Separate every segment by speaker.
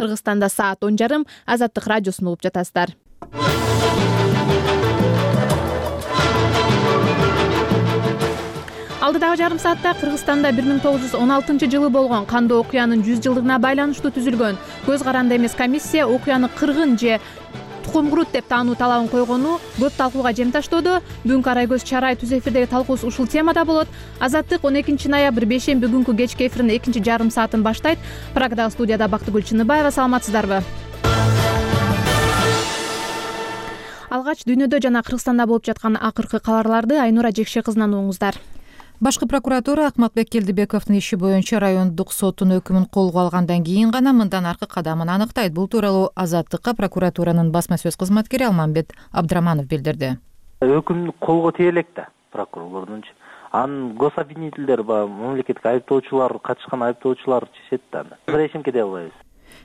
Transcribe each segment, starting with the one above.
Speaker 1: Кыргызстанда саат 10:30. Азаттык радиосун угуп жатасыздар. Алдыдагы жарым саатта Кыргызстанда 1916-жылы болгон кандуу окуянын 100 жылдыгына байланыштуу түзүлгөн көз каранды эмес комиссия окуяны кыргын же тукумкурут деп таануу талабын койгону көп талкууга жем таштоодо. Бүгүнкү Арайгөз чарай түз эфирдеги талкуубуз ушул темада болот. Азаттык 12 ноябрь бейшемби күнкү кечки эфиринин экинчи жарым саатын баштайт. Прагдагы студияда Бактыгүл Чыныбаева. Саламатсыздарбы? Алгач дүйнөдө жана Кыргызстанда болуп жаткан акыркы кабарларды Айнура Жекше кызынан угуңуздар.
Speaker 2: Башкы прокуратура Акматбек Келдибековдун иши боюнча райондук соттун өкүмүн колго алгандан кийин гана мындан аркы кадамын аныктайт. Бул тууралуу Азаттыкка прокуратуранын басма сөз кызматкери Алмамбет Абдраманов билдирди.
Speaker 3: Өкүм колго тие элек да прокурорлордунчу. Анын гособвинительдер мамлекеттик айыптоочулар, катышкан айыптоочулар чечет да. Эчимге дей албайбыз.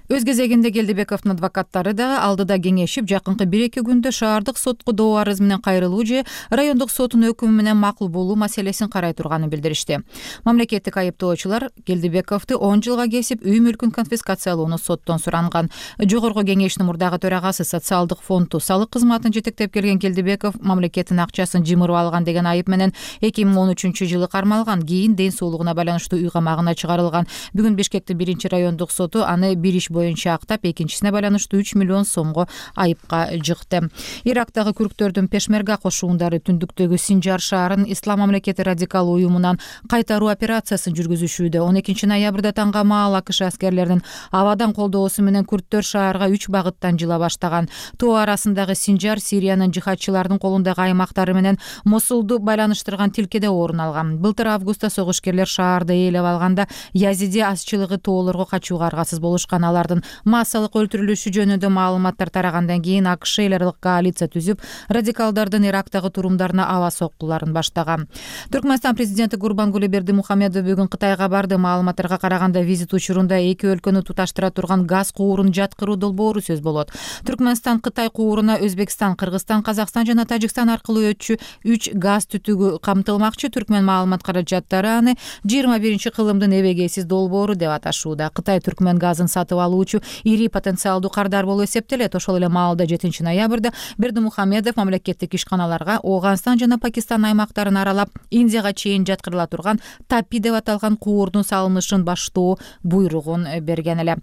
Speaker 2: Өз кезегинде Келдибековдун адвокаттары дагы алдыда кеңешип, жакынкы 1-2 күндө шаардык сотко доо арыз менен кайрылуу же райондук соттун өкүмү менен макул болуу маселесин карай турганын билдиришти. Мамлекеттик айыптоочулар Келдибековду 10 жылга кесип, үй мүлкүн конфискациялоону соттон суранган. Жогорку кеңештин мурдагы төрагасы социалдык фонду салык кызматын жетектеп келген Келдибеков мамлекеттин акчасын жымырып алган деген айып менен 2013-жылы кармалган. Кийин ден соолугуна байланыштуу үй камагына чыгарылган. Бүгүн Бишкектин 1-райондук соту аны бир иш боюнча актап, экинчисине байланыштуу 3 миллион сомго айыпка жыкты. Ирактагы күрктөрдүн Пешмерга кошуундары түндүктөгү Синжар шаарын Ислам мамлекети радикал уюмунан кайтаруу операциясын жүргүзүшүүдө. 12 ноябрда таңга маал АКШ аскерлеринин абадан колдоосу менен күрттөр шаарга 3 багыттан жыла баштаган. Тоо арасындагы Синжар Сириянын жихадчылардын колундагы аймактары менен Мосулду байланыштырган тилкеде орун алган. Былтыр августта согушкерлер шаарды ээлеп алганда Язиди азчылыгы тоолорго качууга аргасыз болушкан. Алардын массалык өлтүрүлүшү жөнүндө маалыматтар тарагандан кийин АКШ эл аралык коалиция түзүп, радикалдардын Ирактагы турумдарына аба соккуларын баштаган. Түркмөнстан президенти Гурбангулы Бердимухамедов бүгүн Кытайга барды. Маалыматтарга караганда визит учурунда эки өлкөнү туташтыра турган газ куурун жаткыруу долбоору сөз болот. Түркмөнстан Кытай кууруна Өзбекстан, Кыргызстан, Казакстан жана Тажикстан аркылуу өтчү 3 газ түтүгү камтылмакчы. Түркмөн маалымат каражаттары аны 21-кылымдын эбегейсиз долбоору деп аташууда. Кытай Түркмөн газын сатып алуучу ири потенциалдуу кардар болуп эсептелет. Ошол эле маалда 7 ноябрда Бердимухамедов мамлекеттик ишканаларга Ооганстан жана Пакистан аймактарын аралап, Индияга чейин жаткырыла турган Тапи деп аталган куурдун салынышын баштоо буйругун берген эле.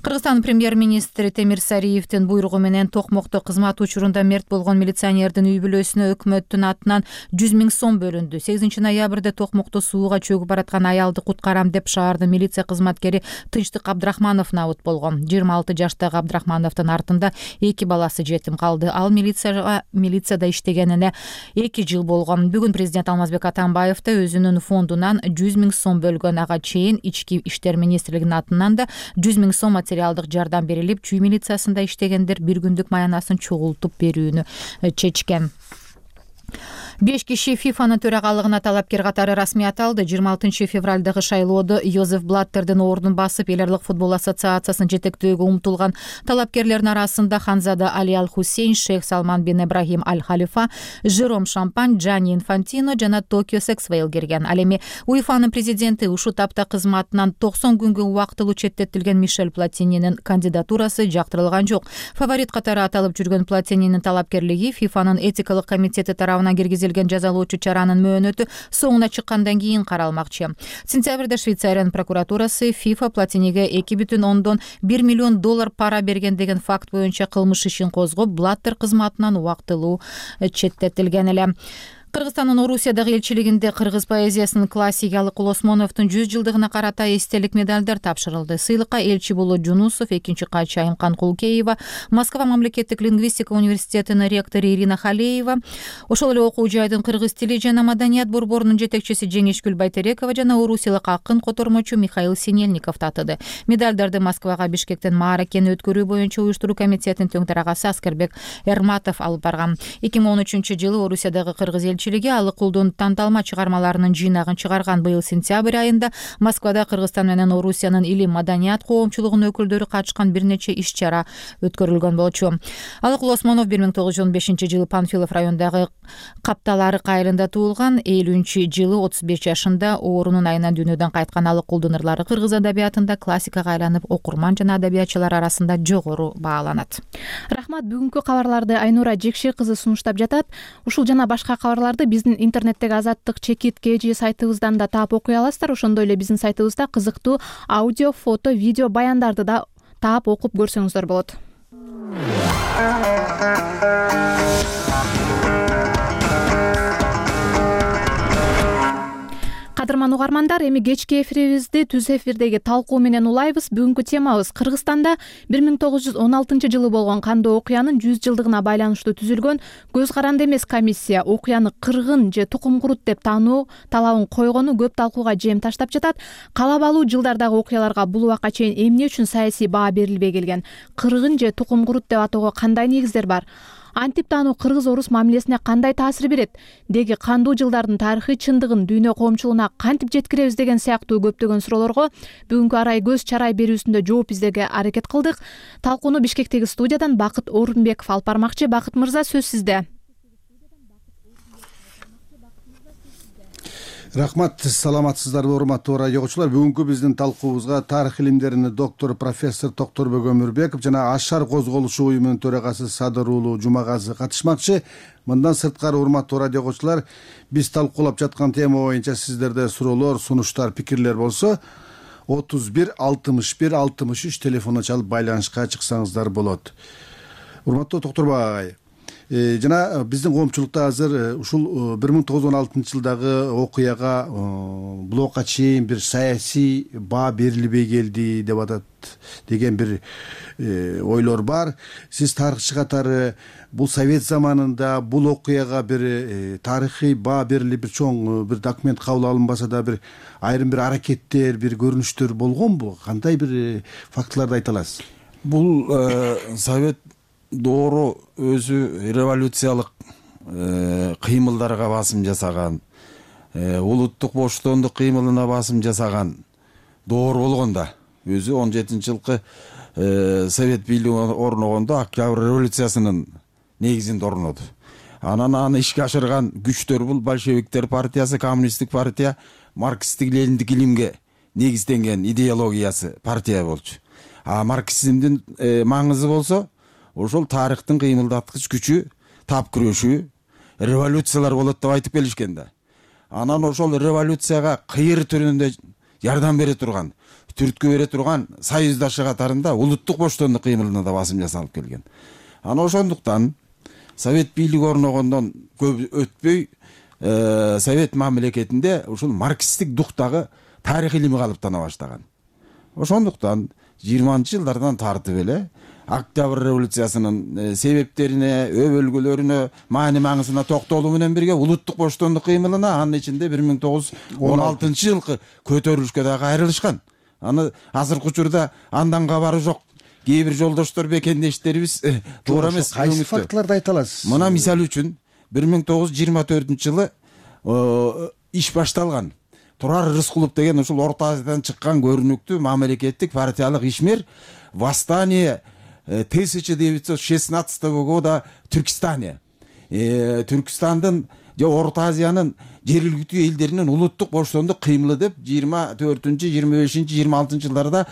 Speaker 2: Кыргызстан премьер-министри Темир Сариевдин буйругу менен Токмокто кызмат учурунда мерт болгон милиционердин үй бүлөсүнө өкмөттүн атынан 100 000 сом бөлүндү. 8 ноябрда Токмокто сууга чөгүп бараткан аялды куткарам деп шаардын милиция кызматкери Тынчтык Абдрахманов набыт болгон. 26 жаштагы Абдрахмановдун артында 2 баласы жетим калды. Ал милицияда иштегенине 2 жыл болгон. Бүгүн президент Алмазбек Атамбаев да өзүнүн фондунан 100 000 сом бөлгөн. Ага чейин Ички иштер министрлигинин атынан да 100 000 сом материалдык жардам берилип, чүй милициясында иштегендер 1 күндүк маянасын чогултуп берүүнү чечкен. 5 киши ФИФАнын төрагалыгына талапкер катары расмий аталды. 26 февралдагы шайлоодо Йозеф Блаттердин ордун басып, эл аралык футбол ассоциациясынын жетектөөгө умтулган талапкерлердин арасында Ханзада Али Аль-Хусейн, Шейх Салман бин Ибрахим Аль-Халифа, Жером Шампань, Джани Инфантино жана Токио Сексвейл кирген. Ал эми УЕФАнын президенти ушул тапта кызматынан 90 күнгө убактылуу четтетилген Мишель Платининин кандидатурасы жактырылган жок. Фаворит катары аталып жүргөн Платининин талапкерлиги ФИФАнын этикалык комитети тарабынан киргизилген жазалоочу чаранын мөөнөтү соңуна чыккандан кийин каралмакчы. Сентябрда Швейцариянын прокуратурасы ФИФА Платиниге $2,1 миллион пара берген деген факт боюнча кылмыш ишин козгоп, Блаттер кызматынан убактылуу четтетилген эле. Кыргызстандын Орусиядагы элчилигинде кыргыз поэзиясынын классиги Алыкул Осмоновдун 100 жылдыгына карата эстелик медалдар тапшырылды. Сыйлыкка элчи Болот Жунусов, экинчи катчы Айымкан Кулкеева, Москва мамлекеттик лингвистика университетинин ректору Ирина Халеева, ошол эле окуу жайдын кыргыз тили жана маданият борборунун жетекчиси Жеңишгүл Байтерекова жана орусиялык акын котормочу Михаил Синельников татыды. Медалдарды Москвага Бишкектен мааракени өткөрүү боюнча уюштуруу комитетинин төң тарагасы Аскербек Эрматов алып барган. 2013 жылы Орусиядагы кыргыз элчилиги Алыкулдун танталма чыгармаларынын жыйнагын чыгарган. Быйыл сентябрь айында Москвада Кыргызстан менен Орусиянын илим маданият коомчулугунун өкүлдөрү катышкан бир нече иш-чара өткөрүлгөн болчу. Алыкул Осмонов 1915-жылы Панфилов районундагы Капталары айылында туулган. 50-жылы 35 жашында оорунун айынан дүйнөдөн кайткан Алыкулдун ырлары кыргыз адабиятында классикага айланып, окурман жана адабиятчылар арасында жогору бааланат.
Speaker 1: Рахмат, бүгүнкү кабарларды Айнура Жекши кызы сунуштап жатат. Ушул жана башка кабарларды биздин интернеттеги Азаттык чекит KG сайтыбыздан да таап окуй аласыздар. Ошондой эле биздин сайтыбызда кызыктуу аудио, фото, видео баяндарды да таап окуп көрсөңүздөр болот. Кадырман угармандар, эми кечки эфирибизди түз эфирдеги талкуу менен улайбыз. Бүгүнкү темабыз Кыргызстанда 1916-жылы болгон кандуу окуянын 100 жылдыгына байланыштуу түзүлгөн көз каранды эмес комиссия окуяны кыргын же тукум курут деп таануу талабын койгону көп талкууга жем таштап жатат. Калабалуу жылдардагы окуяларга бул убакка чейин эмне үчүн саясий баа берилбей келген? Кыргын же тукум курут деп атоого кандай негиздер бар? Антип таануу кыргыз-орус мамилесине кандай таасир берет? Деги кандуу жылдардын тарыхый чындыгын дүйнө коомчулугуна кантип жеткиребиз деген сыяктуу көптөгөн суроолорго бүгүнкү арай көз чарай берүүсүндө жооп издеге аракет кылдык. Талкууну Бишкектеги студиядан Бакыт Орунбеков алып бармакчы. Бакыт мырза, сөз сизде.
Speaker 4: Рахмат, саламатсыздарбы урматтуу радио угуучулар. Бүгүнкү биздин талкуубузга тарых илимдеринин доктору профессор Токторбек Өмүрбеков жана Ашар козголушу уюмунун төрагасы Садыр уулу Жумагазы катышмакчы. Мындан сырткары урматтуу радио угуучулар, биз талкуулап жаткан тема боюнча сиздерде суроолор, сунуштар, пикирлер болсо 31 61 63 телефонуна чалып байланышка чыксаңыздар болот. Урматтуу Токторбек агай, жана биздин коомчулукта азыр ушул 1916-жылдагы окуяга бул убакка чейин бир саясий баа берилбей келди деп атат деген бир ойлор бар. Сиз тарыхчы катары бул совет заманында бул окуяга бир тарыхый баа берилип, бир чоң бир документ кабыл алынбаса да бир айрым бир аракеттер, бир көрүнүштөр болгонбу? Кандай бир фактыларды айта аласыз?
Speaker 5: Бул совет доору өзү революциялык кыймылдарга басым жасаган, улуттук боштондук кыймылына басым жасаган доор болгондо, өзү 17-жылкы совет бийлиги орногондо Октябрь революциясынын негизинде орноду. Анан аны ишке ашырган күчтөр бул большевиктер партиясы, коммунисттик партия, марксисттик лениндик илимге негизденген идеологиясы партия болчу. А марксизмдин маңызы болсо ошол тарыхтын кыймылдаткыч күчү, тап күрөшүү, революциялар болот деп айтып келишкен да. Анан ошол революцияга кыйыр түрүндө жардам бере турган, түрткү бере турган союздашы катарында улуттук боштондук кыймылына да басым жасалып келген. Анан ошондуктан совет бийлиги орногондон көп өтпөй совет мамлекетинде ушул марксисттик дуктагы тарых илими калыптана баштаган. Ошондуктан 20-жылдардан тартып эле Октябрь революциясынын себептерине, өбөлгөлөрүнө, маани маңызына токтолуу менен бирге улуттук боштондук кыймылына, анын ичинде 1916-жылкы көтөрүлүшкө дагы кайрылышкан. Аны азыркы учурда андан кабары жок. Кээ бир жолдоштор, бекендештерибиз туура эмес.
Speaker 4: Кайсы фактыларды айта аласыз?
Speaker 5: Мына мисал үчүн 1924-жылы иш башталган. Турар Рыскулов деген ушул Орто Азиядан чыккан көрүнүктүү мамлекеттик партиялык ишмер восстание 1916 года Түркистане. Түркистандын же Орто Азиянын жергиликтүү элдеринин улуттук боштондук кыймылы деп 24-25 26 жылдарда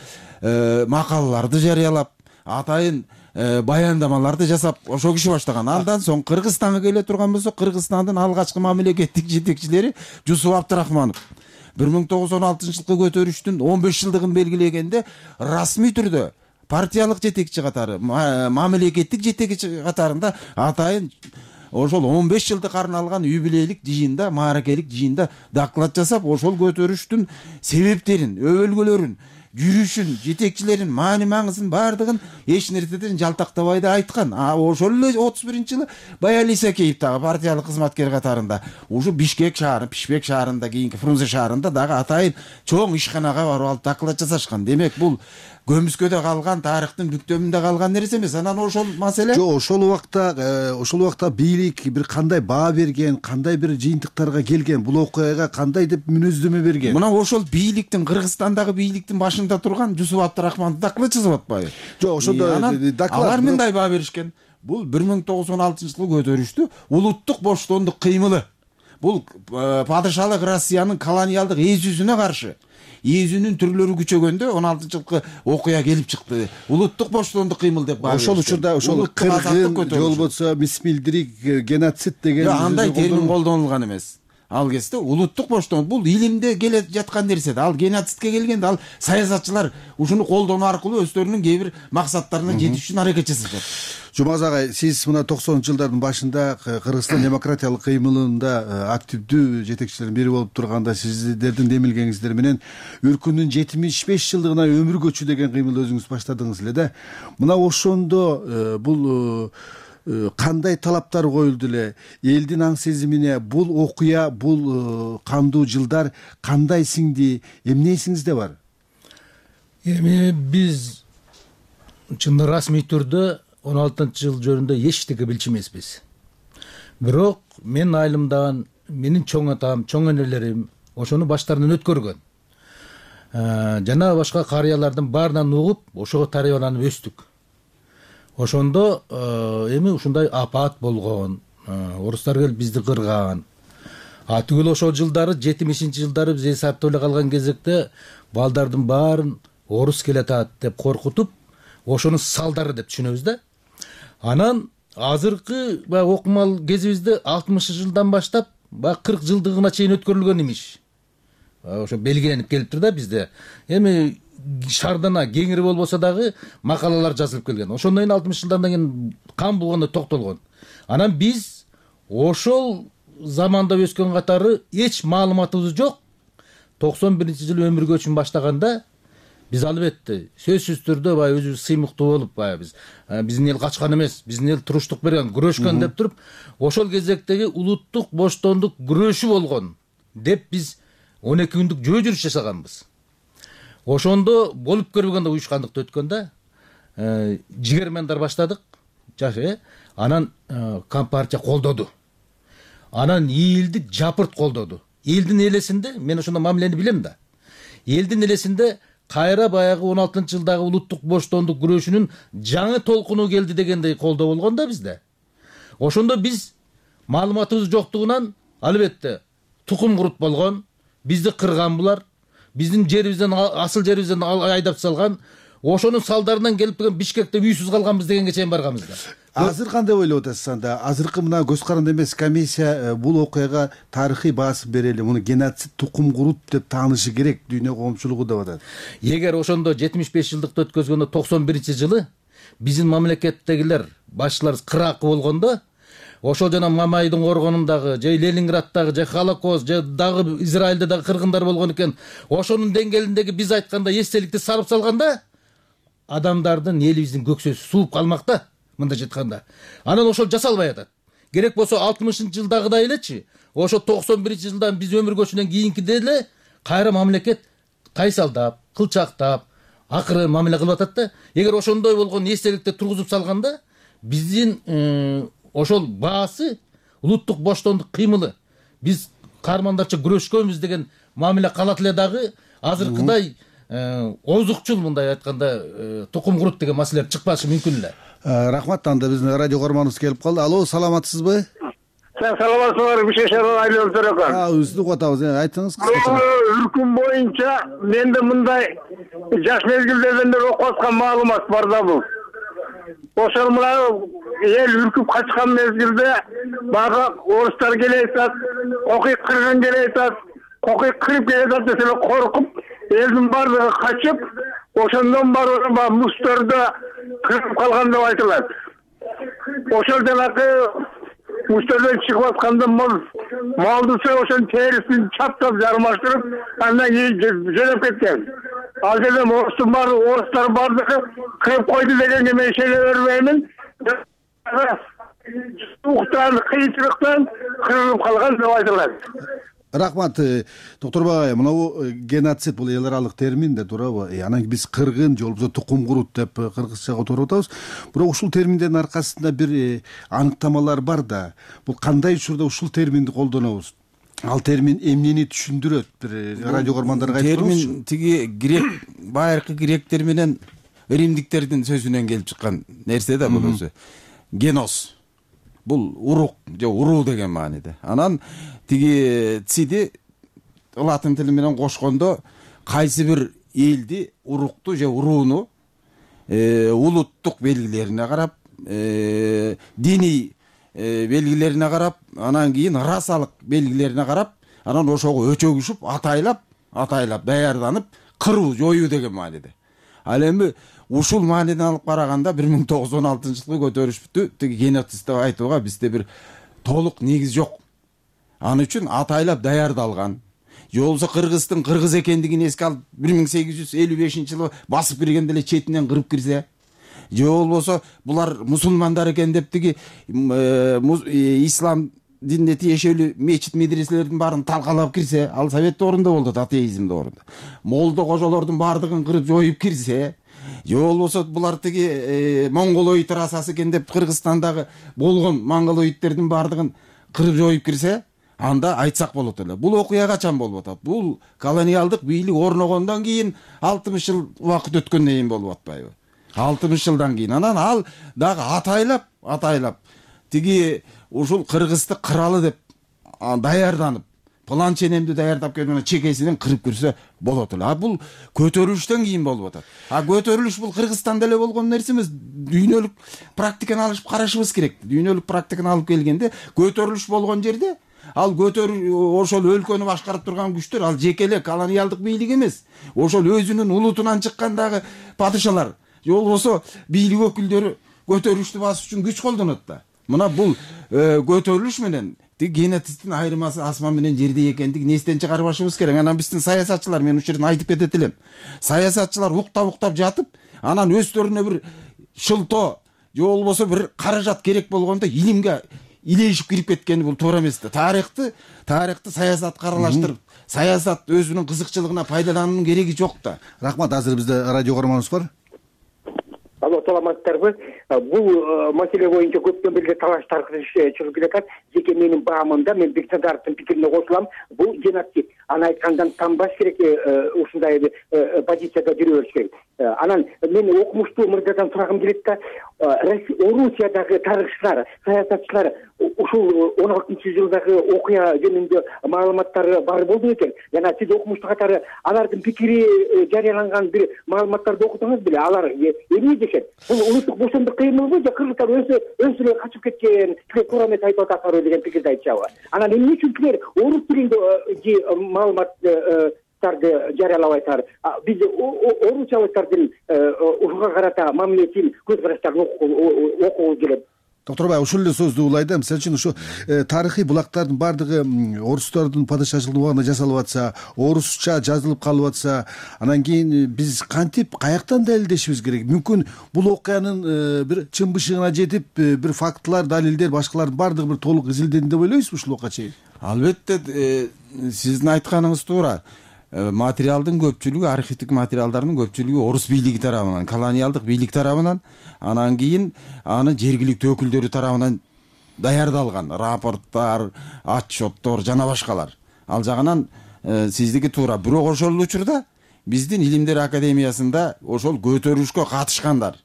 Speaker 5: макалаларды жарыялап, атайын баяндамаларды жасап ошо киши баштаган. Андан соң Кыргызстанга келе турган болсо, Кыргызстандын алгачкы мамлекеттик жетекчилери Жусуп Абдрахманов 1916-жылкы көтөрүштүн 15 жылдыгын белгилегенде расмий түрдө партиялык жетекчи катары, мамлекеттик жетекчи катарында атайын ошол 15 жылдык арналган юбилейлик жыйында, мааракелик жыйында доклад жасап, ошол көтөрүштүн себептерин, өбөлгөлөрүн, жүрүшүн, жетекчилерин, маани маңызын бардыгын эч нерседен жалтактабай да айткан. Ошол эле 31-жылы Баял Исакеев дагы партиялык кызматкер катарында ушу Бишкек шаары, Пишпек шаарында, кийинки Фрунзе шаарында дагы атайын чоң ишканага барып алып доклад жасашкан. Демек, бул көмүскөдө калган, тарыхтын бүктөмүндө калган нерсе эмес. Анан ошол маселе
Speaker 4: жок, ошол убакта бийлик бир кандай баа берген, кандай бир жыйынтыктарга келген, бул окуяга кандай деп мүнөздөмө берген?
Speaker 5: Мына ошол бийликтин, Кыргызстандагы бийликтин башында турган Жусуп Абдрахманов доклад жазып атпайбы?
Speaker 4: Жок, ошондо доклад
Speaker 5: алар мындай баа беришкен. Бул 1916-жылы көтөрүштү, улуттук боштондук кыймылы. Бул падышалык Россиянын колониалдык эзүүсүнө каршы. Эзүүнүн түрлөрү күчөгөндө 16-жылкы окуя келип чыкты. Улуттук боштондук кыймыл деп баа беришкен.
Speaker 4: Ошол учурда ошол кыргын, болбосо мисмилдирик, геноцид деген
Speaker 5: андай термин колдонулган эмес. Ал кезде улуттук боштондук бул илимде келе жаткан нерсе. Ал геноцидке келгенде ал саясатчылар ушуну колдонуу аркылуу өздөрүнүн кээ бир максаттарына жетиш үчүн аракет жасашат.
Speaker 4: Жумагаз агай, сиз мына 90-жылдардын башында Кыргызстан демократиялык кыймылында активдүү жетекчилердин бири болуп турганда сиздердин демилгениңиздер менен өлкөнүн 75 жылдыгына өмүр көчү деген кыймылды өзүңүз баштадыңыз эле да. Мына ошондо бул кандай талаптар коюлду эле? Элдин аң сезимине бул окуя, бул кандуу жылдар кандай сиңди? Эмне эсиңизде бар?
Speaker 6: Эми биз чын расмий түрдө 16-жыл жөнүндө эчтеке билчү эмеспиз. Бирок мен айылымдан менин чоң атам, чоң энелерим ошону баштарынан өткөргөн. Жана башка карыялардын баарынан угуп, ошого тарбияланып өстүк. Ошондо эми ушундай апат болгон, орустар келип бизди кырган. Түгүл ошол жылдары 70-жылдары биз эсаптап эле калган кезекте балдардын баарын орус келатат деп коркутуп, ошонун салдары деп түшүнөбүз да. Анан азыркы окумал кезибизде 60-жылдан баштап 40 жылдыгына чейин өткөрүлгөн имиш. Ошо белгиленип келиптир да бизде. Эми шардана кеңири болбосо дагы макалалар жазылып келген. Ошондон кийин 60-жылдан кийин кан болгондо токтолгон. Анан биз ошол заманда өскөн катары эч маалыматыбыз жок. 91-жылы өмүр көчүн баштаганда биз албетте сөзсүз түрдө өзүбүз сыймыктуу болуп биздин эл качкан эмес, биздин эл туруштук берген, күрөшкөн деп туруп, ошол кезектеги улуттук боштондук күрөшү болгон деп биз 12 күндүк жөө жүрүш жасаганбыз. Ошондо болуп көрбөгөндө уюшкандыкты өткөндө жигермендар баштадык. Анан Компартия колдоду. Анан элди жапырт колдоду. Элдин элесинде, мен ошондо мамилени билем да. Элдин элесинде кайра баягы 16-жылдагы улуттук боштондук күрөшүнүн жаңы толкуну келди дегендей колдоо болгон да бизде. Ошондо биз маалыматыбыз жоктугунан албетте тукум курут болгон, бизди кырган булар, биздин жерибизден, асыл жерибизден айдап салган, ошонун салдарынан келип келген Бишкекте үйсүз калганбыз дегенге чейин барганбыз да.
Speaker 4: Азыр кандай ойлоп атасыз анда? Азыркы мына көз каранды эмес комиссия бул окуяга тарыхый баасын берели, муну геноцид, тукум курут деп таанышы керек дүйнө коомчулугу деп атат.
Speaker 6: Эгер ошондо 75 жылдыкты өткөзгөндө 91-жылы биздин мамлекеттегилер башчылар кыракы болгондо, ошол жана Мамайдын коргонундагы, же Ленинграддагы, же Холокост, же дагы Израилде дагы кыргындар болгон экен, ошонун деңгээлиндеги биз айтканда эстеликти сарып салганда, адамдардын элибиздин көксөсү сууп калмак да. Мында жатканда. Анан ошол жасалбай атат. Керек болсо 60-жылдагыдай элечи, ошо 91-жылдан биз өмүр көчүнөн кийинкиде эле кайра мамлекет тайсалдап, кылчактап, акыры мамиле кылып атат да. Эгер ошондой болгон эстеликти тургузуп салганда, биздин ошол баасы, улуттук боштондук кыймылы, биз каармандарча күрөшкөнбүз деген мамиле калат эле дагы, азыркыдай озукчул мындай айтканда тукум курут деген маселе чыкпашы мүмкүн эле.
Speaker 4: Рахмат, анда биздин радио көрманыбыз келип калды. Алло, саламатсызбы?
Speaker 7: Саламатсызбы, Бишешерден Айлан Төрөкөн.
Speaker 4: Өзүнү угуп атабыз. Айтыңыз кыскача.
Speaker 7: Үркүм боюнча менде мындай жаш мезгилдерден бери окуп аткан маалымат бар да бул. Ошол мына эл үркүп качкан мезгилде бага орустар келе атат, кокуй кыргын келе атат, кокуй кырып келе атат десе коркуп, элдин баардыгы качып, ошондон баары мустөрдө кырып калган деп айтылат. Ошол жанакы мустөрдөн чыгып атканда малдысы ошонун терисин чаптап жармаштырып, андан кийин жөнөп кеткен. Ал жерде орустар баардыгы кырып койду дегенге мен ишене бербеймин. Уктан, кыйынчылыктан кырылып калган деп айтылат.
Speaker 4: Рахмат, доктор Багай. Мынабу геноцид бул эл аралык термин да, туурабы? Анан биз кыргын же болбосо тукум курут деп кыргызча которуп атабыз. Бирок ушул терминдердин аркасында бир аныктамалар бар да. Бул кандай учурда ушул терминди колдонобуз? Ал термин эмнени түшүндүрөт? Бир радио көрөрмандарга айтып бериңизчи.
Speaker 5: Термин тиги грек, байыркы гректер менен римдиктердин сөзүнөн келип чыккан нерсе да бул өзү. Генос. Бул урук же уруу деген мааниде. Анан тиги циди латын тили менен кошкондо кайсы бир элди, урукту же урууну улуттук белгилерине карап, диний белгилерине карап, анан кийин расалык белгилерине карап, анан ошого өчөгүшүп, атайлап даярданып кыруу, жоюу деген мааниде. Ал эми ушул мааниден алып караганда 1916-жылкы көтөрүшүптү тиги геноцид деп айтууга бизде бир толук негиз жок. Аны үчүн атайлап даярдалган, же болбосо Кыргыздын кыргыз экендигин эске алып 1855-жылы басып киргенде эле четинен кырып кирсе, же болбосо булар мусулмандар экен деп тиги ислам динине тиешелүү мечит медреселердин баарын талкалап кирсе, ал совет доорунда болду, атеизм доорунда. Молдо кожолордун баардыгын кырып жоюп кирсе, же болбосо булар тиги монголоид расасы экен деп Кыргызстандагы болгон монголоидтердин баардыгын кырып жоюп кирсе, анда айтсак болот эле. Бул окуя качан болуп атат? Бул колониалдык бийлик орногондон кийин 60 жыл убакыт өткөндөн кийин болуп атпайбы? 60 жылдан кийин. Анан ал дагы атайлап тиги ушул Кыргызды кыралы деп даярданып, план ченемди даярдап келип чекесинен кырып кирсе болот эле. Бул көтөрүлүштөн кийин болуп атат. Көтөрүлүш бул Кыргызстанда эле болгон нерсе эмес. Дүйнөлүк практиканы алышып карашыбыз керек. Дүйнөлүк практиканы алып келгенде көтөрүлүш болгон жерде ал ошол өлкөнү башкарып турган күчтөр ал жеке эле колониалдык бийлик эмес. Ошол өзүнүн улутунан чыккандагы падышалар, же болбосо бийлик өкүлдөрү көтөрүлүштү басыш үчүн күч колдонот да. Мына бул көтөрүлүш менен тиги геноцидтин айырмасы асман менен жердей экендигин эстен чыгарбашыбыз керек. Анан биздин саясатчылар, мен ушул жерден айтып кетет элем. Саясатчылар уктап жатып, анан өздөрүнө бир шылтоо же болбосо бир каражат керек болгондо илимге илешип кирип кеткени бул туура эмес да. Тарыхты саясатка аралаштырып, саясат өзүнүн кызыкчылыгына пайдалануунун кереги жок да.
Speaker 4: Рахмат. Азыр бизде радио көрөрманыбыз бар.
Speaker 8: Алло, саламатсыздарбы? Бул маселе боюнча көптөн бери талаш таркытыш чыгып келатат. Жеке менин баамымда мен Бексадаровдун пикирине кошулам. Бул геноцид. Аны айткандан танбаш керек, ушундай позицияда жүрө бериш керек. Анан мен окумуштуу мырзадан сурагым келет да, Орусиядагы тарыхчылар, саясатчылар ушул 16-жылдагы окуя жөнүндө маалыматтары бар болду экен. Жана сиз окумуштуу катары алардын пикири жарыяланган бир маалыматтарды окудуңуз беле? Алар эмне дешет? Бул улуттук бошондук кыймылбы же кыргыздар өзү эле качып кеткен, туура эмес айтып атасызбы деген пикирди айтышабы? Анан эмне үчүн силер орус тилинде маалыматтарды жарыялабайсыздар? Биз орусчалыктардын ушуга карата мамилесин, көз караштарын окугубуз келет.
Speaker 4: Доктор Бай, ушул эле сөздү улайда. Мисалы үчүн ушу тарыхый булактардын баардыгы орустардын падышачылыгы убагында жасалып атса, орусча жазылып калып атса, анан кийин биз кантип, каяктан далилдешибиз керек? Мүмкүн бул окуянын бир чын бышыгына жетип, бир фактылар, далилдер, башкалардын баардыгы бир толук изилденди деп ойлойсузбу ушул убакка чейин?
Speaker 5: Албетте, сиздин айтканыңыз туура. Материалдын көпчүлүгү, архивдик материалдардын көпчүлүгү орус бийлиги тарабынан, колониалдык бийлик тарабынан, анан кийин аны жергиликтүү өкүлдөрү тарабынан даярдалган рапорттар, отчеттор жана башкалар. Ал жагынан сиздики туура. Бирок ошол учурда биздин Илимдер академиясында ошол көтөрүлүшкө катышкандар,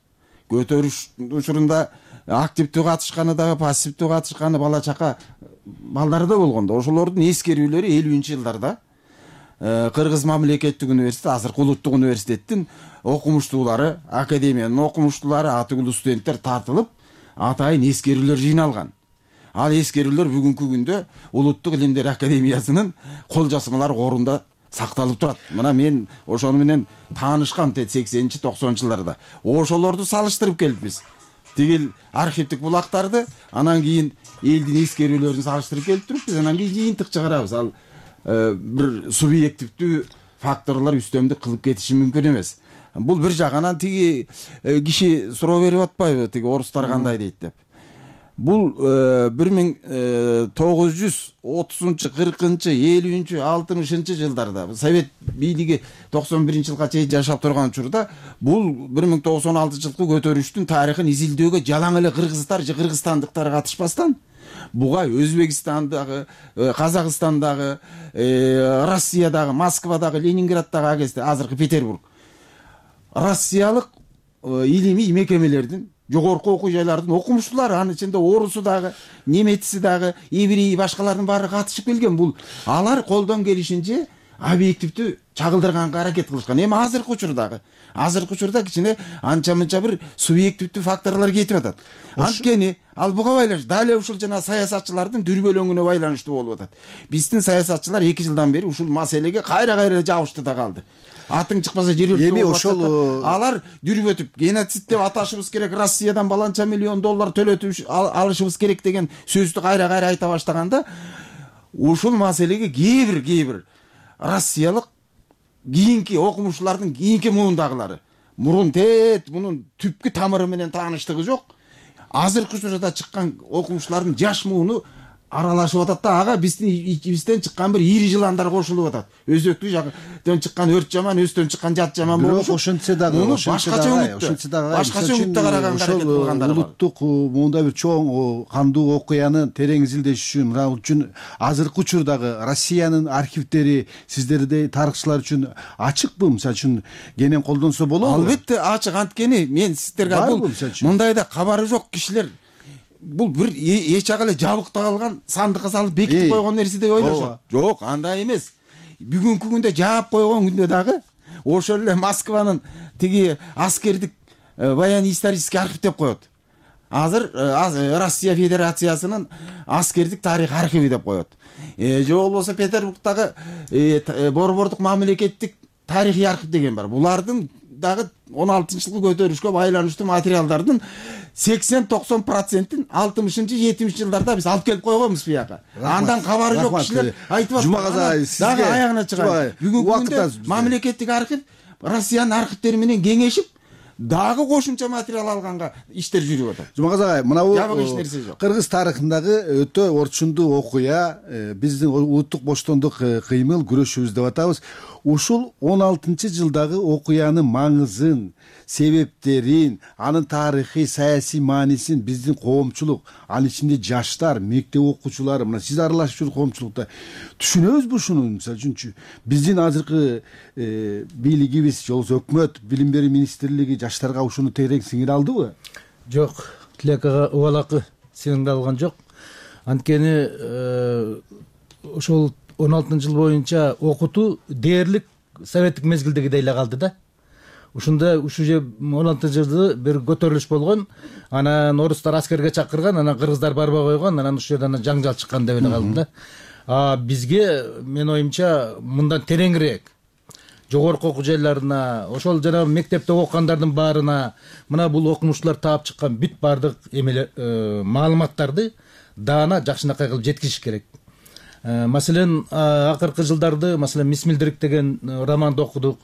Speaker 5: көтөрүш учурунда активдүү катышканы дагы, пассивдүү катышканы бала чака балдары да болгондо, ошолордун эскерүүлөрү 50-жылдарда Кыргыз мамлекеттик университети, азыркы улуттук университеттин окумуштуулары, академиянын окумуштуулары, атыгулуу студенттер тартылып, атайын эскерүүлөр жыйналган. Ал эскерүүлөр бүгүнкү күндө Улуттук Илимдер академиясынын кол жазмалар корунда сакталып турат. Мына мен ошону менен таанышкам 80-90 жылдарда. Ошолорду салыштырып келипбиз. Тигил архивдик булактарды, анан кийин элдин эскерүүлөрүн салыштырып келип турупбиз, анан кийин жыйынтык чыгарабыз. Ал бир субъективдүү факторлор үстөмдүк кылып кетиши мүмкүн эмес. Бул бир жагынан тиги киши суроо берип атпайбы, тиги орустар кандай дейт деп. бул 1930-40-50-60 жылдарда Совет бийлиги 91-жылга чейин жашап турган учурда бул 1916 жылкы көтөрүштүн тарыхын изилдөөгө жалаң эле кыргыздар же кыргызстандыктар катышпастан буга Өзбекстандагы, Казакстандагы, Россиядагы, Москвадагы, Ленинграддагы агесте азыркы Петербург россиялык илимий мекемелердин жогорку окуу жайлардын окумуштуулары, анын ичинде орусу дагы, немеци дагы, евреи, башкалардын баары катышып келген. Бул алар колдон келишинче объективдүү чагылдырганга аракет кылышкан. Эми азыркы учурда кичине анча мынча бир субъективдүү факторлор кетип атат. Анткени ал буга байланыш, дал эле ушул жана саясатчылардын дүрбөлөңүнө байланыштуу болуп атат. Биздин саясатчылар 2 жылдан бери ушул маселеге кайра жабышты да калды. Атың чыкпаса жер өртүп
Speaker 4: эми ошол
Speaker 5: алар дүрбөтүп геноцид деп аташыбыз керек, Россиядан баланча миллион доллар төлөтүп алышыбыз керек деген сөздү кайра айта баштаганда ушул маселеге кээ бир россиялык кийинки окумуштуулардын кийинки муундагылары мурун мунун түпкү тамыры менен тааныштыгы жок. Азыркы учурда чыккан окумуштуулардын жаш мууну аралашып атат да, ага бизден чыккан бир ири жыландар кошулуп атат. Өзөктүү жактан чыккан өрт жаман, өстөн чыккан жат жаман болуп,
Speaker 4: ошентсе дагы
Speaker 5: башкача үмүттө караганга аракет кылгандар бар.
Speaker 4: Улуттук мындай бир чоң кандуу окуяны терең изилдеш үчүн, мына үчүн азыркы учурдагы Россиянын архивдери сиздердей тарыхчылар үчүн ачыкпы? Мисалы үчүн кенен колдонсо болобу?
Speaker 5: Албетте ачык. Анткени мен сиздерге бул мындайда кабары жок кишилер бул бир эч ак эле жабыкта калган сандыкка салып бекитип койгон нерсе деп ойлошот. Жок, андай эмес. Бүгүнкү күндө жаап койгон күндө дагы ошол эле Москванын тиги аскердик военно-исторический архив деп коет. Азыр Россия Федерациясынын аскердик тарих архиви деп коет. Же болбосо Петербургдагы борбордук мамлекеттик тарихий архив деген бар. Булардын дагы 16-жылкы көтөрүшкө байланыштуу материалдардын 80-90%-ин 60-70 жылдарда биз алып келип койгонбуз бияка. Андан кабары жок кишилер айтып атат.
Speaker 4: Жумагазай,
Speaker 5: дагы аягына чыгат. Бүгүнкү күндө мамлекеттик архив Россиянын архивдери менен кеңешип дагы кошумча материал алганга иштер жүрүп атат.
Speaker 4: Жумагазай, мына бул
Speaker 5: жабык эч нерсе жок.
Speaker 4: Кыргыз тарыхындагы өтө орчундуу окуя, биздин улуттук боштондук кыймыл, күрөшүбүз деп атабыз. Ушул 16-жылдагы окуянын маңызын, себептерин, анын тарыхый, саясий маанисин биздин коомчулук, анын ичинде жаштар, мектеп окуучулары, мына сиз аралашып жүргөн коомчулукта түшүнөбүзбү ушуну? Мисалы үчүнчү биздин азыркы бийлигибиз, же болбосо өкмөт, билим берүү министрлиги жаштарга ушуну терең сиңире алдыбы?
Speaker 6: Жок, Тилек ага убалакы сиңире алган жок. Анткени ошол 16-жыл боюнча окутуу дээрлик советтик мезгилдегидей эле калды да. Ушунда ушу же 16-жылды бир көтөрүлүш болгон, анан орустар аскерге чакырган, анан кыргыздар барбай койгон, анан ушул жерден жаңжал чыккан деп эле калды да. Бизге мен оюмча мындан тереңирээк жогорку окуу жайларына, ошол жана мектепте окугандардын баарына мына бул окумуштуулар таап чыккан бүт баардык маалыматтарды даана жакшынакай кылып жеткизиш керек. Маселен, акыркы жылдарды, маселен, Мисмилдирик деген романды окудук.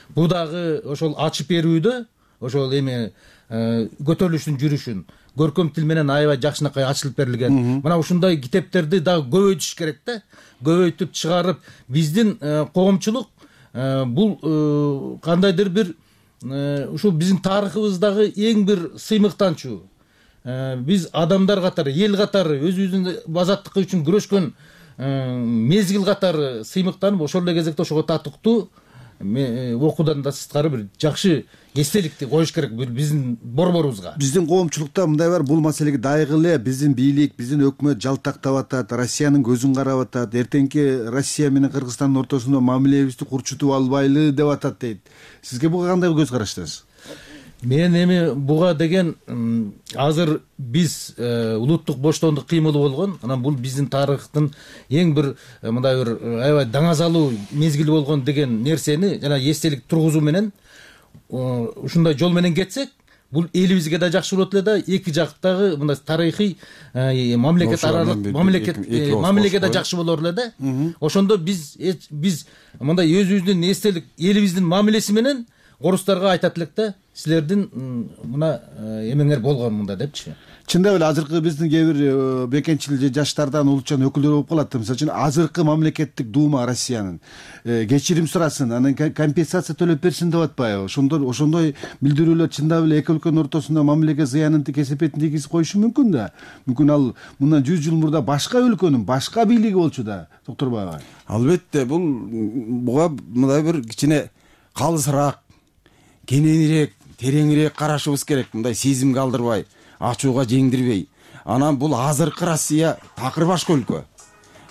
Speaker 6: Бул дагы ошол ачып берүүдө, ошол эми көтөрүлүштүн жүрүшүн көркөм тил менен аябай жакшынакай ачылып берилген. Мына ушундай китептерди дагы көбөйтүш керек да. Көбөйтүп чыгарып, биздин коомчулук бул кандайдыр бир ушул биздин тарыхыбыздагы эң бир сыймыктанчу. Биз адамдар катары, эл катары, өзүбүздүн азаттык үчүн күрөшкөн мезгил катары сыймыктанып, ошол эле кезекте ошого татыктуу окуудан да сырткары бир жакшы эстеликти коюш керек биздин борборубузга.
Speaker 4: Биздин коомчулукта мындай бар, бул маселеге дайгы эле биздин бийлик, биздин өкмөт жалтактап атат, Россиянын көзүн карап атат, эртеңки Россия менен Кыргызстандын ортосунда мамилебизди курчутуп албайлы деп атат дейт. Сизге буга кандай көз караштасыз?
Speaker 6: Мен эми буга деген азыр биз улуттук боштондук кыймылы болгон, анан бул биздин тарыхтын эң бир мындай бир аябай даңазалуу мезгили болгон деген нерсени жана эстелик тургузуу менен ушундай жол менен кетсек, бул элибизге да жакшы болот эле да, эки жактагы мындай тарыхый мамлекет аралык мамилеге да жакшы болор эле да. Ошондо биз мындай өзүбүздүн эстелик элибиздин мамилеси менен орустарга айтат элек да, силердин мына эмеңер болгон мында депчи.
Speaker 4: чындап эле азыркы биздин кээ бир бекенчил же жаштардан улутчан өкүлдөр болуп калат. Мисалы үчүн азыркы мамлекеттик дума Россиянын кечирим сурасын, анан компенсация төлөп берсин деп атпайбы? Ошондой билдирүүлөр чындап эле эки өлкөнүн ортосунда мамилеге зыянын кесепетин тийгизип коюшу мүмкүн да. Мүмкүн ал мындан 100 жыл мурда башка өлкөнүн башка бийлиги болчу да, Докторбаев агай.
Speaker 5: Албетте, буга мындай бир кичине калысыраак, кененирээк, тереңирээк карашыбыз керек. Мындай сезимге алдырбай, ачууга жеңдирбей. Анан бул азыркы Россия такыр башка өлкө.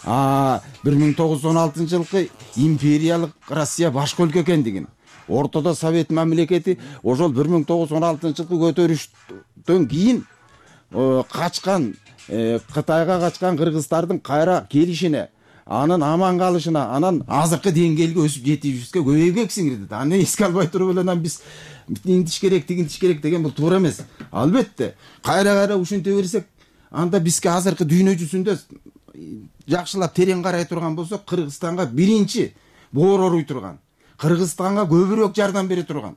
Speaker 5: 1916 жылкы империялык Россия башка өлкө экендигин, ортодо Совет мамлекети ошол 1916 жылкы көтөрүштөн кийин качкан, Кытайга качкан кыргыздардын кайра келишине, анын аман калышына, анан азыркы деңгээлге өсүп жетишибизге көбөйгөк сиңирди. Аны эске албай туруп эле анан биз интиш керек, тигинтиш керек деген бул туура эмес. Албетте, кайра ушинте берсек, анда бизге азыркы дүйнө жүзүндө жакшылап терең карай турган болсок, Кыргызстанга биринчи боор оруй турган, Кыргызстанга көбүрөөк жардам бере турган,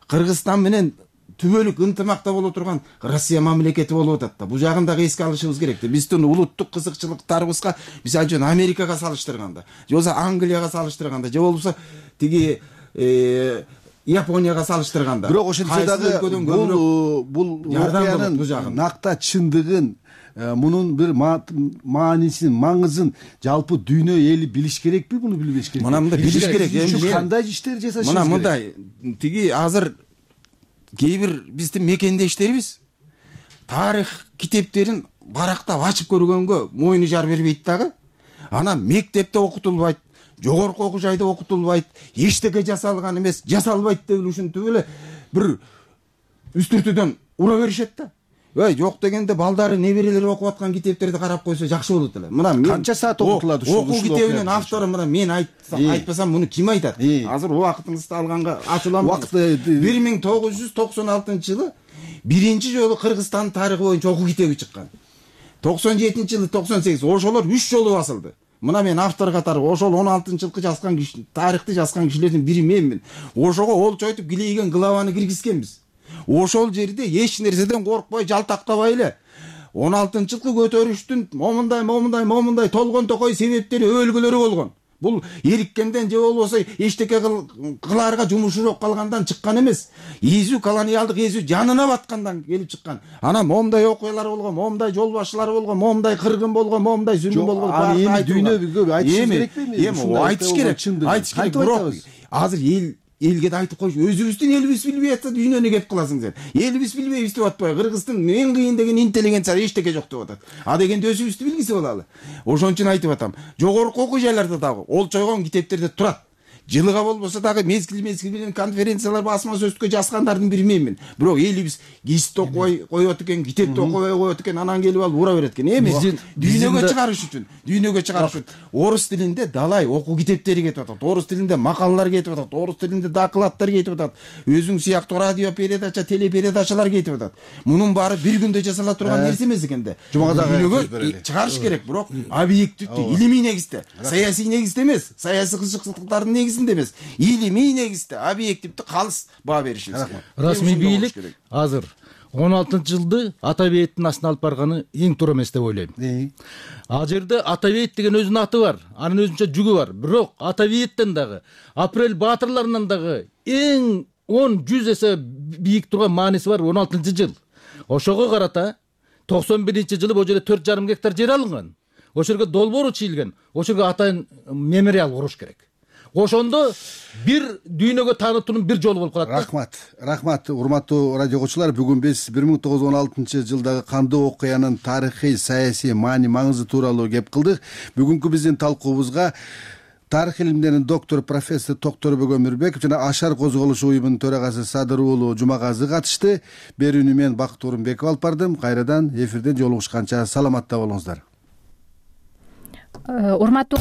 Speaker 5: Кыргызстан менен түбөлүк ынтымакта боло турган Россия мамлекети болуп атат да. Бул жагын дагы эске алышыбыз керек да. Биздин улуттук кызыкчылыктарыбызга, мисалы үчүн Америкага салыштырганда, же болбосо Англияга салыштырганда, же болбосо тиги Японияга салыштырганда,
Speaker 4: бирок ошентсе дагы бул окуянын накта чындыгын, мунун бир маанисин, маңызын жалпы дүйнө эли билиш керекпи, буну билбеш керек?
Speaker 5: Мына мындай билиш керек.
Speaker 4: Кандай иштер жасашыбыз керек?
Speaker 5: Мына мындай, тиги азыр кээ бир биздин мекендештерибиз тарых китептерин барактап ачып көргөнгө мойну жар бербейт дагы. Анан мектепте окутулбайт, жогорку окуу жайда окутулбайт, эчтеке жасалган эмес, жасалбайт деп ушинтип эле бир үстүртүдөн ура беришет да. Жок дегенде балдары, неберелери окуп аткан китептерди карап койсо жакшы болот эле. Мына
Speaker 4: канча саат окутулат ушул
Speaker 5: окуу китебинин автору мына мен айтпасам муну ким айтат? Азыр убактыңызды алганга ачууланам. 1996 жылы биринчи жолу Кыргызстан тарыхы боюнча окуу китеби чыккан. 97 жылы 98 ошолор 3 жолу басылды. Мына мен автор катары ошол 16 жылкы жазган киши, тарыхты жазган кишилердин бири менмин. Ошого олчойтуп килейген главаны киргизгенбиз. Ошол жерде эч нерседен коркпой, жалтактабай эле 16 жылкы көтөрүштүн момундай толгон токой себептери, өлгөлөрү болгон. Бул эриккенден же болбосо эчтеке кылаарга жумушу жок калгандан чыккан эмес. Изүү колониалдык изүү жанына баткандан келип чыккан. Анан момундай окуялар болгон, момундай жол башчылары болгон, момундай кыргын болгон, момундай зүлүм болгон.
Speaker 4: Эми дүйнөгө айтыш керекпи?
Speaker 5: Эми айтыш керек. Айтыш керек. Бирок азыр элге да айтып коюш, өзүбүздүн элибиз билбей атса дүйнөнү кеп кыласың сен. Элибиз билбейбиз деп атпай, Кыргыздын эң кыйын деген интеллигенция эчтеке жок деп атат. Дегенде өзүбүздү билгизе болалы. Ошон үчүн айтып атам, жогорку окуу жайларда дагы олчойгон китептерде турат. Жылыга болбосо дагы мезгил менен конференциялар, басма сөзгө жазгандардын бири менмин. Бирок элибиз гезитте окубай коет экен, китепте окубай коет экен, анан келип алып ура берет экен. Эми дүйнөгө чыгарыш үчүн орус тилинде далай окуу китептери кетип атат, орус тилинде макалалар кетип атат, орус тилинде докладдар кетип атат, өзүң сыяктуу радио передача, телепередачалар кетип атат. Мунун баары бир күндө жасала турган нерсе эмес экен да. Дүйнөгө чыгарыш керек, бирок объективдүү, илимий негизде, саясий негизде эмес, саясий кызыкчылыктардын негизинде эмес, илимий негизде, объективдүү калыс баа беришибиз керек.
Speaker 6: Расмий бийлик азыр 16 жылды Атабеевдин астына алып барганы эң туура эмес деп ойлойм. Ал жерде Атабеев деген өзүнүн аты бар, анын өзүнчө жүгү бар. Бирок Атабеевден дагы, Апрель баатырларынан дагы эң 10-100 эсе бийик турган мааниси бар 16 жыл. Ошого карата 91 жылы бул жерде 4,5 гектар жер алынган. Ошол жерге долбоору чийилген. Ошол жерге атайын мемориал куруш керек. Ошондо бир дүйнөгө таанытуунун бир жолу болуп калат.
Speaker 4: Рахмат, урматтуу радио окуучулар. Бүгүн биз 1916 жылдагы кандуу окуянын тарыхый, саясий маңызы тууралуу кеп кылдык. Бүгүнкү биздин талкуубузга тарых илимдеринин доктору профессор Токторбек Өмүрбеков жана Ашар козголушу уюмунун төрагасы Садыр уулу Жумагазы катышты. Берүүнү мен Бакыт Орунбеков алып бардым. Кайрадан эфирден жолугушканча саламатта болуңуздар.
Speaker 1: Урматтуу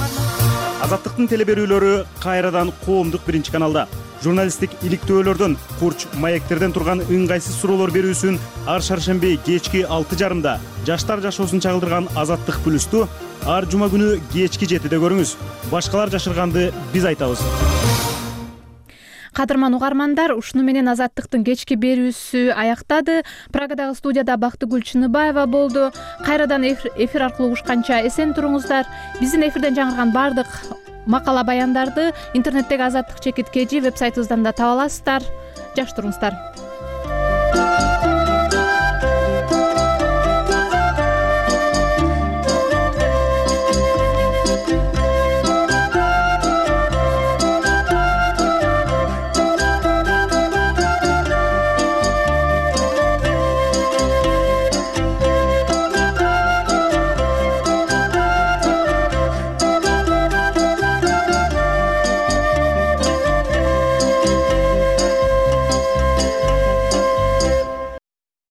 Speaker 9: Азаттыктын телеберүүлөрү кайрадан коомдук биринчи каналда. Журналисттик иликтөөлөрдөн, курч маектерден турган ыңгайсыз суроолор берүүсүн ар шаршемби кечки 6:30 жаштар жашоосун чагылдырган Азаттык плюсту ар жума күнү кечки 7-де көрүңүз. Башкалар жашырганды биз айтабыз.
Speaker 1: Кадырман угармандар, ушуну менен Азаттыктын кечки берүүсү аяктады. Прагадагы студияда Бактыгүл Чыныбаева болду. Кайрадан эфир аркылуу угушканча эсен туруңуздар. Биздин эфирден жаңырган баардык макала баяндарды интернеттеги Азаттык /KG вебсайтыбыздан да таба аласыздар. Жакшы туруңуздар.